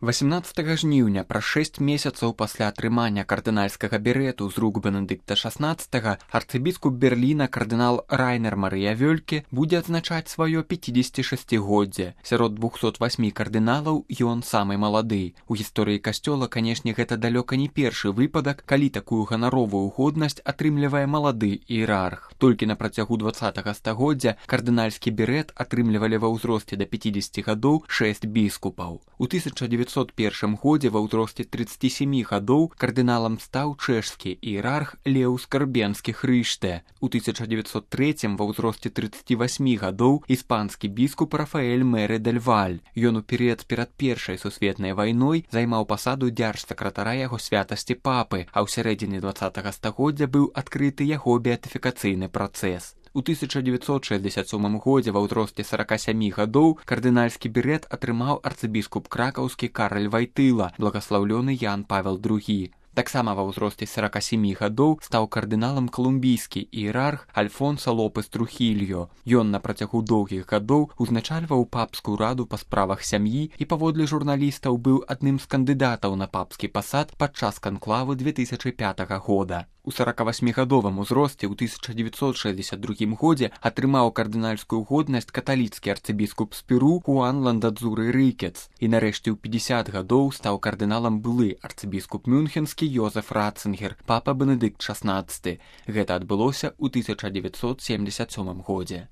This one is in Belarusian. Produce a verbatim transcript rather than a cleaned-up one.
васямнаццатага жніўня, праз шэсць месяцаў пасля атрымання кардынальскага берэту з рук Бенедыкта шаснаццатага, арцыбіскуп Берліна кардынал Райнер Марыя Вёльке будзе адзначаць сваё пяцідзесяцішасцігоддзе. Сярод двухсот васьмі кардыналаў ён самы малады. У гісторыі касцёла, канешне, гэта далёка не першы выпадак, калі такую ганаровую годнасць атрымлівае малады іерарх. Толькі на працягу дваццатага стагоддзя кардынальскі берэт атрымлівалі ва ўзросце да пяцідзесяці гадоў шэсць біскупаў. У тысяча дзевяцьсот першым годзе ва ўзросце трыццаці сямі гадоў кардыналам стаў чэшскі іерарх Леў Скарбенскі Хрыште. У тысяча дзевяцьсот трэцім ва ўзросце трыццаці васьмі гадоў іспанскі біскуп Рафаэль Мэры дель Валь. Ён у перыяд перад першай сусветнай вайной займаў пасаду дзяржсакратара яго святасці папы, а ў сярэдзіне дваццатага стагоддзя быў адкрыты яго беатыфікацыйны працэс. У тысяча дзевяцьсот шэсцьдзесят сёмым годзе ва ўзросце сарака сямі гадоў кардынальскі берэт атрымаў арцыбіскуп кракаўскі Караль Вайтыла, благаслаўлёны Ян Павел другі. Таксама ва ўзросце сарака сямі гадоў стаў кардыналам калумбійскі іерарх Альфонса Лопес Трухільо. Ён на працягу доўгіх гадоў узначальваў папскую раду па справах сям'і і паводле журналістаў быў адным з кандыдатаў на папскі пасад падчас канклавы две тысячы пятага года. У саракавасьмігадовым узросце ў тысяча дзевяцьсот шэсцьдзесят другім годзе атрымаў кардынальскую годнасць каталіцкі арцыбіскуп з Перу Хуан Ландадзуры Рыкец. І нарэшце ў пятьдзясят гадоў стаў кардыналам былы арцыбіскуп мюнхенскі Йозеф Ратцингер, папа Бенедыкт шаснаццаты. Гэта адбылося ў тысяча дзевяцьсот семдзесят сёмым годзе.